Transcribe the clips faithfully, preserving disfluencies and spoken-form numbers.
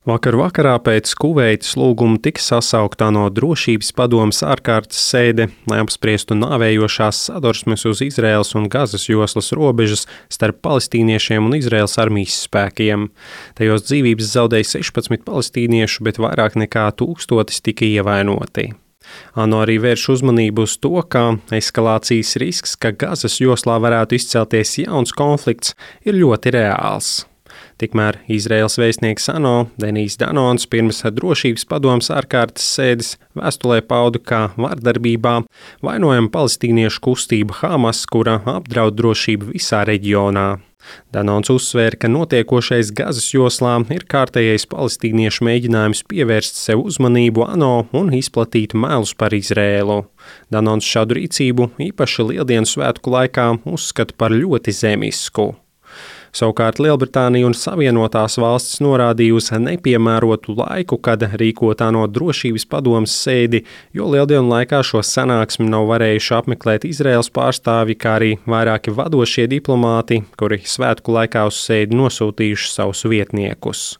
Vakar vakarā pēc Kuveitas lūguma tika sasaukta ANO drošības padomes ārkārtas sēde, lai apspriestu nāvējošās sadursmes uz Izraēlas un Gazas joslas robežas starp palestīniešiem un Izraēlas armijas spēkiem. Tajos dzīvības zaudēja sešpadsmit palestīniešu, bet vairāk nekā tūkstotis tika ievainoti. ANO arī vērš uzmanību uz to, ka eskalācijas risks, ka Gazas joslā varētu izcelties jauns konflikts, ir ļoti reāls. Tikmēr Izraēlas vēstnieks ANO Denijs Danons pirms drošības padomes ārkārtas sēdes vēstulē pauda, ka vardarbībā vainojama palestīniešu kustība Hamas, kura apdraud drošību visā reģionā. Danons uzsvēra, ka notiekošais Gazas joslā ir kārtējais palestīniešu mēģinājums pievērst sev uzmanību ANO un izplatīt melus par Izraēlu. Danons šādu rīcību īpaši Lieldienu svētku laikā uzskata par ļoti zemisku. Savukārt Lielbritānija un Savienotās valstis norādīja uz nepiemērotu laiku, kad rīkot ANO drošības padomes sēdi, jo Lieldienu laikā šo sanāksmi nav varējuši apmeklēt Izraēlas pārstāvji, kā arī vairāki vadošie diplomāti, kuri svētku laikā uz sēdi nosūtījuši savus vietniekus.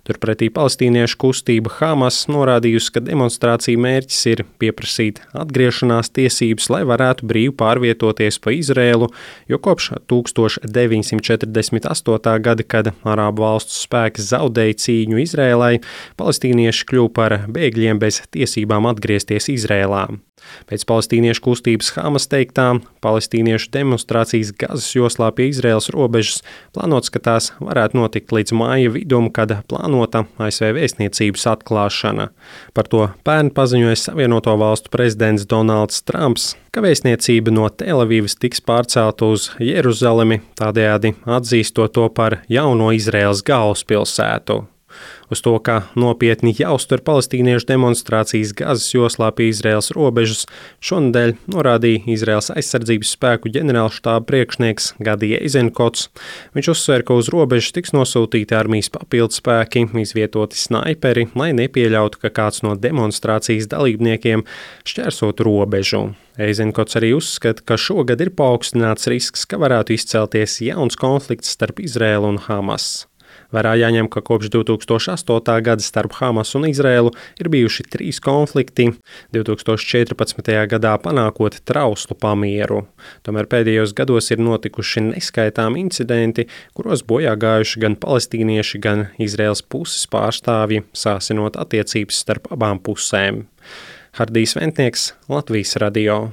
Turpretī palestīniešu kustība Hamas norādījusi, ka demonstrācija mērķis ir pieprasīt atgriešanās tiesības, lai varētu brīvi pārvietoties pa Izraēlu, jo kopš tūkstoš deviņsimt četrdesmit astotā gada, kad Arābu valstu spēki zaudēja cīņu Izraēlai, palestīnieši kļuva par bēgļiem bez tiesībām atgriezties Izraēlā. Pēc palestīniešu kustības Hamas teiktām, palestīniešu demonstrācijas Gazas joslā pie Izraēlas robežas plānots, ka tās varētu notikt līdz māja vidum, kad plānota A S V vēstniecības atklāšana. Par to pērn paziņoja Savienoto valstu prezidents Donalds Trumps, ka vēstniecība no Telavīvas tiks pārcelta uz Jeruzalemi, tādējādi atzīstot to par jauno Izraēlas galvaspilsētu. Uz to, ka nopietni jāuztver palestīniešu demonstrācijas Gazas joslā pie Izraēlas robežas, šonedēļ norādīja Izraēlas aizsardzības spēku ģenerālštāba priekšnieks Gadi Eizenkots. Viņš uzsver, ka uz robežas tiks nosūtīti armijas papildspēki, izvietoti snaiperi, lai nepieļautu, ka kāds no demonstrācijas dalībniekiem šķērsot robežu. Eizenkots arī uzskata, ka šogad ir paaugstināts risks, ka varētu izcelties jauns konflikts starp Izraēlu un Hamas. Vērā jāņem, ka kopš divi tūkstoši astotā gada starp Hamas un Izraēlu ir bijuši trīs konflikti, divi tūkstoši četrpadsmitajā gadā panākot trauslu pamieru. Tomēr pēdējos gados ir notikuši neskaitāmi incidenti, kuros bojā gājuši gan palestīnieši, gan Izraēlas puses pārstāvji, sāsinot attiecības starp abām pusēm. Hardijs Ventnieks, Latvijas radio.